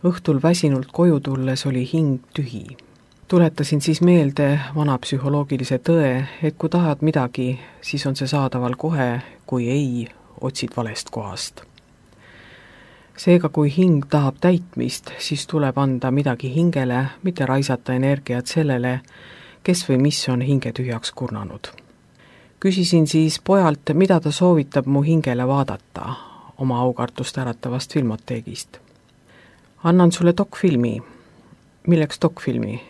Õhtul väsinult koju tulles oli hing tühi. Tuletasin siis meelde vana psühholoogilise tõe, et kui tahad midagi, siis on see saadaval kohe, kui ei, otsid valest kohast. Seega, kui hing tahab täitmist, siis tuleb anda midagi hingele, mitte raisata energiat sellele, kes või mis on hinge tühjaks kurnanud. Küsisin siis pojalt, mida ta soovitab mu hingele vaadata oma aukartust äratavast filmoteegist. Annan sulle dokfilmi. Milleks dokfilmi?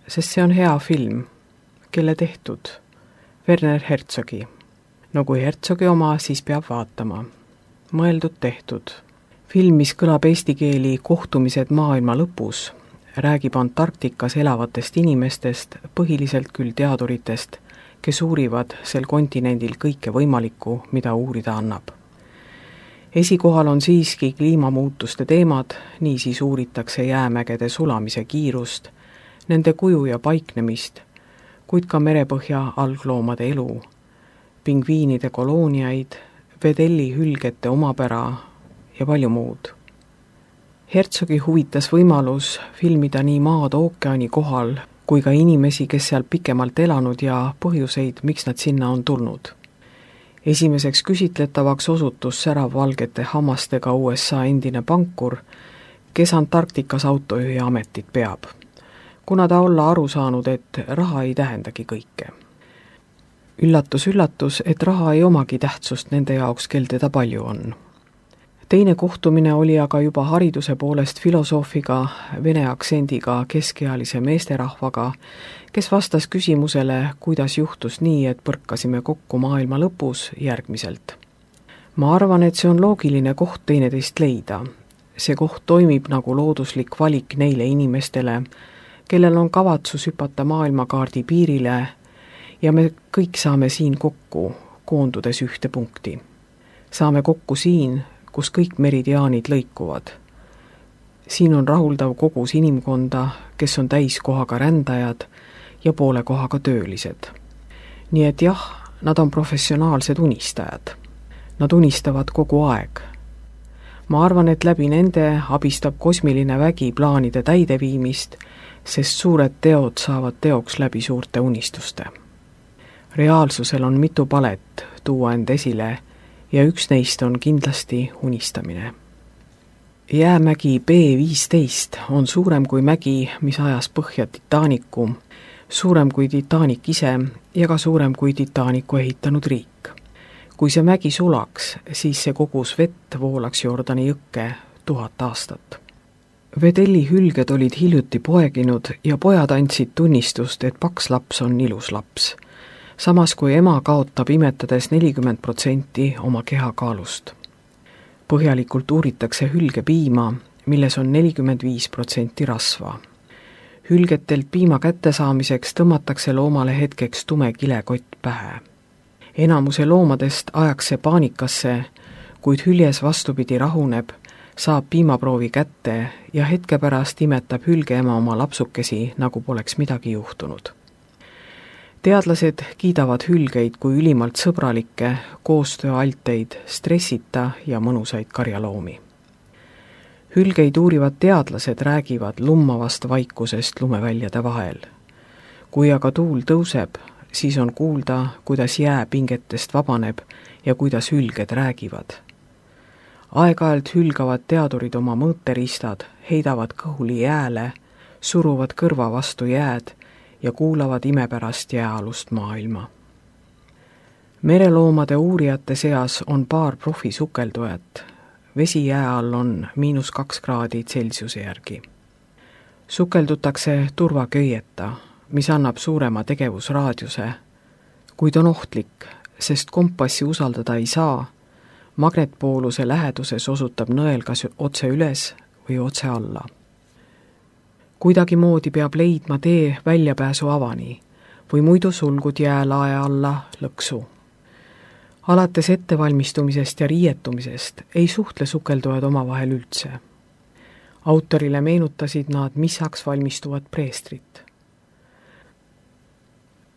Sest see on hea film. Kelle tehtud? Werner Herzogi. No kui Herzogi oma, siis peab vaatama. Mõeldud tehtud. Film, mis kõlab eesti keeli Kohtumised maailma lõpus, räägib Antarktikas elavatest inimestest, põhiliselt küll teaduritest, kes uurivad sel kontinendil kõike võimalikku, mida uurida annab. Esikohal on siiski kliimamuutuste teemad, niisiis uuritakse jäämägede sulamise kiirust, nende kuju ja paiknemist, kuid ka merepõhja algloomade elu, pingviinide kolooniaid, vedellihülgete omapära ja palju muud. Herzogi huvitas võimalus filmida nii maad ookeani kohal, kui ka inimesi, kes seal pikemalt elanud ja põhjuseid, miks nad sinna on tulnud. Esimeseks küsitletavaks osutus säravvalgete hammastega USA endine pankur, kes Antarktikas autojuhi ametit peab, kuna ta olla aru saanud, et raha ei tähendagi kõike. Üllatus, üllatus, et raha ei omagi tähtsust nende jaoks, kel teda palju on. Teine kohtumine oli aga juba hariduse poolest filosoofiga, vene aktsendiga keskealise meesterahvaga, kes vastas küsimusele, kuidas juhtus nii, et põrkasime kokku maailma lõpus järgmiselt. Ma arvan, et see on loogiline koht teineteist leida. See koht toimib nagu looduslik valik neile inimestele, kellel on kavatsus hüpata maailmakaardi piirile ja me kõik saame siin kokku, koondudes ühte punkti. Saame kokku siin, kus kõik meridiaanid lõikuvad. Siin on rahuldav kogus inimkonda, kes on täiskohaga rändajad ja poole kohaga töölised. Nii et jah, nad on professionaalsed unistajad. Nad unistavad kogu aeg. Ma arvan, et läbi nende abistab kosmiline vägi plaanide täideviimist, sest suured teod saavad teoks läbi suurte unistuste. Reaalsusel on mitu palet tuua end esile ja üks neist on kindlasti unistamine. Jäämägi B15 on suurem kui mägi, mis ajas põhja Titanicu, suurem kui Titanic ise ja ka suurem kui Titanicu ehitanud riik. Kui see mägi sulaks, siis see kogus vett voolaks Jordani jõkke 1000 aastat. Vedellihülged olid hiljuti poeginud ja pojad andsid tunnistust, et paks laps on ilus laps. Samas kui ema kaotab imetades 40% oma kehakaalust. Põhjalikult uuritakse hülgepiima, milles on 45% rasva. Hülgetelt piima kättesaamiseks tõmmatakse loomale hetkeks tume kilekott pähe. Enamuse loomadest ajaks see paanikasse, kuid hüljes vastupidi rahuneb, saab piimaproovi kätte ja hetke pärast imetab hülgeema oma lapsukesi, nagu poleks midagi juhtunud. Teadlased kiidavad hülgeid kui ülimalt sõbralikke, koostööalteid, stressita ja mõnusaid karjaloomi. Hülgeid uurivad teadlased räägivad lummavast vaikusest lumeväljade vahel. Kui aga tuul tõuseb, siis on kuulda, kuidas jää pingetest vabaneb ja kuidas hülged räägivad. Aeg-ajalt hülgavad teadurid oma mõõteristad, heidavad kõhuli jääle, suruvad kõrva vastu jääd ja kuulavad imepärast jääalust maailma. Mereloomade uurijate seas on paar profisukeldujat. Vesi jää all on -2 kraadi Celsiuse järgi. Sukeldutakse turvaköieta, mis annab suurema tegevusraadiuse, kuid on ohtlik, sest kompassi usaldada ei saa. Magnetpooluse läheduses osutab nõel kas otse üles või otse alla. Kuidagi moodi peab leidma tee väljapääsu avani või muidu sulgud jäälae alla lõksu. Alates ettevalmistumisest ja riietumisest ei suhtle sukeldujad omavahel üldse. Autorile meenutasid nad missaks valmistuvat preestrit.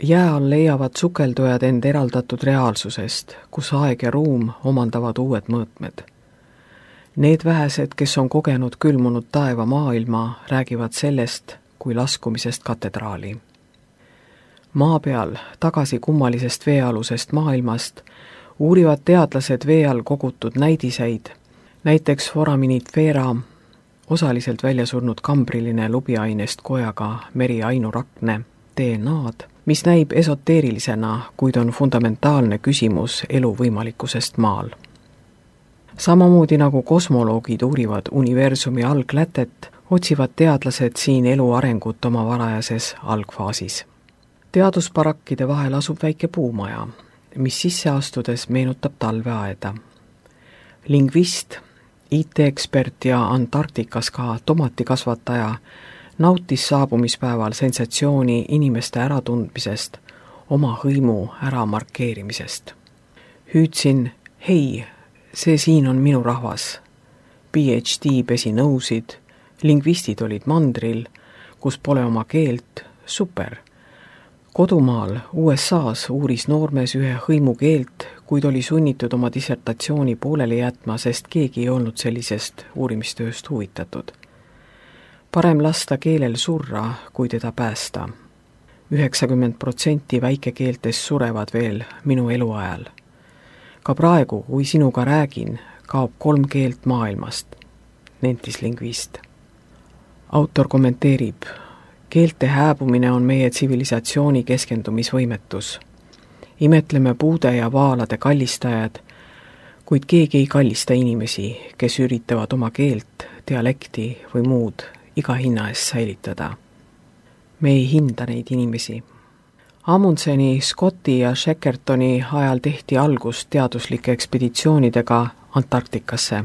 Jää all leiavad sukeldujad end eraldatud reaalsusest, kus aeg ja ruum omandavad uued mõõtmed. Need vähesed, kes on kogenud külmunud taeva maailma, räägivad sellest kui laskumisest katedraali. Maa peal, tagasi kummalisest veealusest maailmast, uurivad teadlased vee all kogutud näidiseid, näiteks foraminifera, osaliselt väljasurnud kambriline lubiainest kojaga meri ainurakne, DNA-d, mis näib esoteerilisena, kuid on fundamentaalne küsimus elu võimalikkusest maal. Samamoodi nagu kosmoloogid uurivad universumi alglätet, otsivad teadlased siin elu arengut oma varajases algfaasis. Teadusparakkide vahel asub väike puumaja, mis sisse astudes meenutab talveaeda. Lingvist, IT-ekspert ja Antarktikas ka tomatikasvataja nautis saabumispäeval sensatsiooni inimeste äratundmisest, oma hõimu äramarkeerimisest. Hüüdsin, hei, see siin on minu rahvas. PhD pesi nõusid, lingvistid olid mandril, kus pole oma keelt, super. Kodumaal USAs uuris noormees ühe hõimu keelt, kuid oli sunnitud oma dissertatsiooni pooleli jätma, sest keegi ei olnud sellisest uurimistööst huvitatud. Parem lasta keelel surra, kui teda päästa. 90% väikekeeltes surevad veel minu eluajal. Ka praegu, kui sinuga räägin, kaob 3 keelt maailmast, nentis lingvist. Autor kommenteerib, keelte hääbumine on meie tsivilisatsiooni keskendumisvõimetus. Imetleme puude ja vaalade kallistajad, kuid keegi ei kallista inimesi, kes üritavad oma keelt, dialekti või muud iga hinna eest säilitada. Me ei hinda neid inimesi. Amundseni, Scotti ja Shackletoni ajal tehti algust teaduslike ekspeditsioonidega Antarktikasse,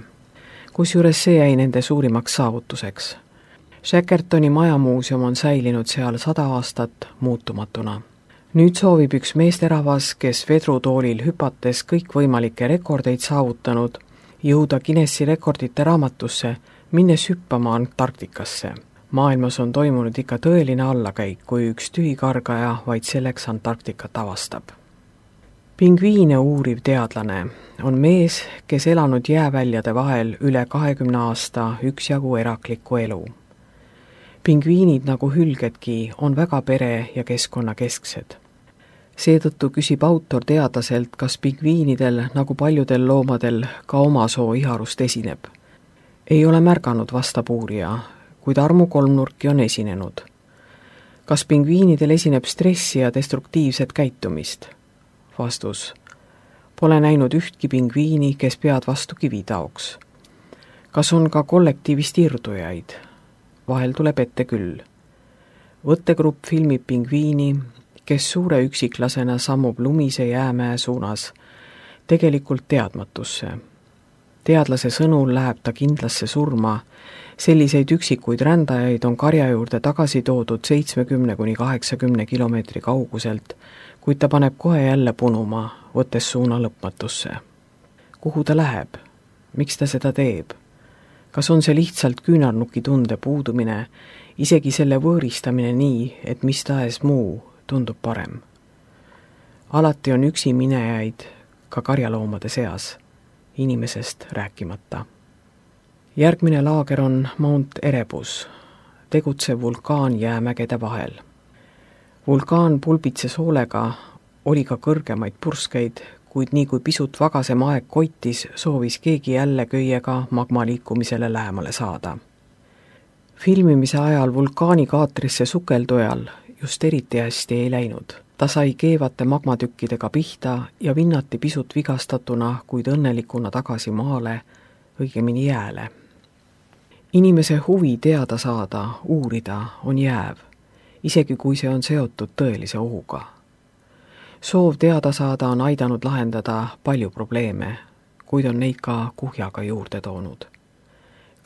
kusjuures see jäi nende suurimaks saavutuseks. Shackletoni majamuuseum on säilinud seal 100 aastat muutumatuna. Nüüd soovib üks meesterahvas, kes vedrutoolil hüpates kõikvõimalikke rekordeid saavutanud, jõuda Guinessi rekordite raamatusse, minnes hüppama Antarktikasse. Maailmas on toimunud ikka tõeline allakäik, kui üks tühikargaja vaid selleks Antarktikat avastab. Pingviine uuriv teadlane on mees, kes elanud jääväljade vahel üle 20 aasta üksjagu eraklikku elu. Pingviinid nagu hülgedki on väga pere- ja keskkonnakesksed. Seetõttu küsib autor teadlaselt, kas pingviinidel nagu paljudel loomadel ka oma soo iharust esineb. Ei ole märganud, vastab uurija, kuid armukolmnurki on esinenud. Kas pingviinidel esineb stressi ja destruktiivset käitumist? Vastus. Pole näinud ühtki pingviini, kes pead vastu kivi taoks. Kas on ka kollektiivist irdujaid? Vahel tuleb ette küll. Võttegrupp filmib pingviini, kes suure üksiklasena sammub lumise jäämäe suunas, tegelikult teadmatusse. Teadlase sõnul läheb ta kindlasse surma, selliseid üksikuid rändajaid on karja juurde tagasi toodud 70–80 kilomeetri kauguselt, kuid ta paneb kohe jälle punuma, võttes suuna lõpmatusse. Kuhu ta läheb? Miks ta seda teeb? Kas on see lihtsalt küünarnuki tunde puudumine, isegi selle võõristamine nii, et mis tahes muu tundub parem? Alati on üksi minejaid ka karjaloomade seas, inimesest rääkimata. Järgmine laager on Mount Erebus, tegutsev vulkaan jäämägede vahel. Vulkaan pulbitses hoolega, oli ka kõrgemaid purskeid, kuid nii kui pisut vagasem aeg koitis, soovis keegi jälle köiega magma liikumisele lähemale saada. Filmimise ajal vulkaanikaatrisse sukeldujal just eriti hästi ei läinud. Ta sai keevate magmatükkidega pihta ja vinnati pisut vigastatuna, kuid õnnelikuna tagasi maale, õigemini jääle. Inimese huvi teada saada, uurida on jääv, isegi kui see on seotud tõelise ohuga. Soov teada saada on aidanud lahendada palju probleeme, kuid on neid ka kuhjaga juurde toonud.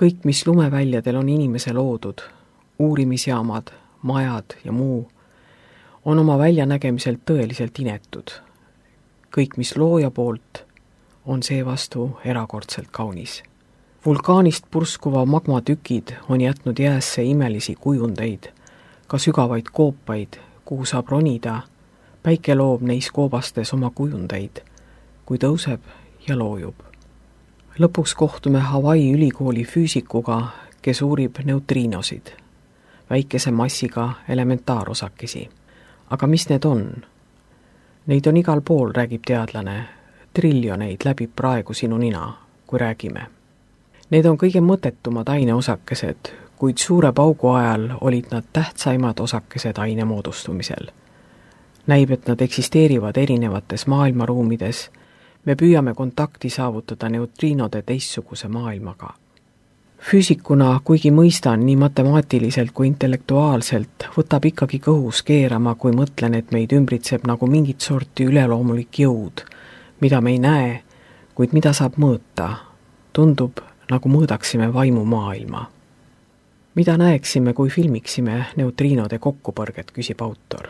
Kõik, mis lumeväljadel on inimese loodud, uurimisjaamad, majad ja muu, on oma väljanägemiselt tõeliselt inetud. Kõik, mis looja poolt, on seevastu erakordselt kaunis. Vulkaanist purskuva magmatükid on jätnud jäässe imelisi kujundeid, ka sügavaid koopaid, kuhu saab ronida. Päike loob neis koobastes oma kujundeid, kui tõuseb ja loojub. Lõpuks kohtume Hawaii ülikooli füüsikuga, kes uurib neutriinosid, väikese massiga elementaarosakesi. Aga mis need on? Neid on igal pool, räägib teadlane. Triljoneid läbib praegu sinu nina, kui räägime. Need on kõige mõttetumad aineosakesed, kuid suure paugu ajal olid nad tähtsaimad osakesed aine moodustumisel. Näib, et nad eksisteerivad erinevates maailmaruumides. Me püüame kontakti saavutada neutriinode teistsuguse maailmaga. Füüsikuna, kuigi mõistan nii matemaatiliselt kui intellektuaalselt, võtab ikkagi kõhus keerama, kui mõtlen, et meid ümbritseb nagu mingit sorti üleloomulik jõud, mida me ei näe, kuid mida saab mõõta. Tundub, nagu mõõdaksime vaimumaailma. Mida näeksime, kui filmiksime neutriinode kokkupõrget, küsib autor.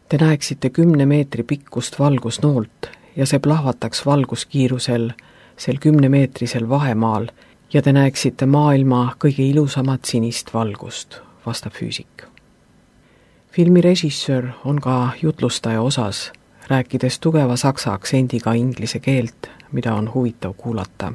Te näeksite 10 meetri pikkust valgusnoolt ja see plahvataks valguskiirusel sel 10-meetrisel vahemaal ja te näeksite maailma kõige ilusamat sinist valgust, vastab füüsik. Filmi režissöör on ka jutlustaja osas, rääkides tugeva saksa aktsendiga inglise keelt, mida on huvitav kuulata.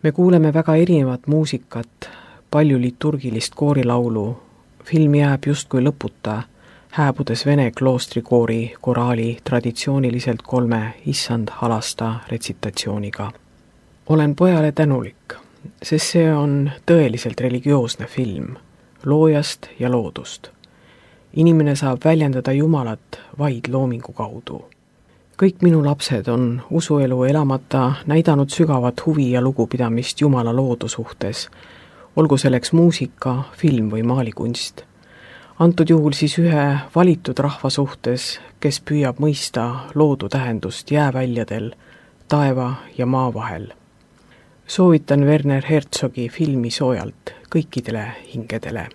Me kuuleme väga erinevat muusikat, palju liturgilist koorilaulu, film jääb justkui lõputa, hääbudes vene kloostrikoori koraali traditsiooniliselt 3 issand halasta retsitatsiooniga. Olen pojale tänulik, sest see on tõeliselt religioosne film, loojast ja loodust. Inimene saab väljendada Jumalat vaid loomingu kaudu. Kõik minu lapsed on usuelu elamata näidanud sügavat huvi ja lugupidamist Jumala loodu suhtes, olgu selleks muusika, film või maalikunst. Antud juhul siis ühe valitud rahva suhtes, kes püüab mõista loodu tähendust jääväljadel, taeva ja maa vahel. Soovitan Werner Herzogi filmi soojalt kõikidele hingedele.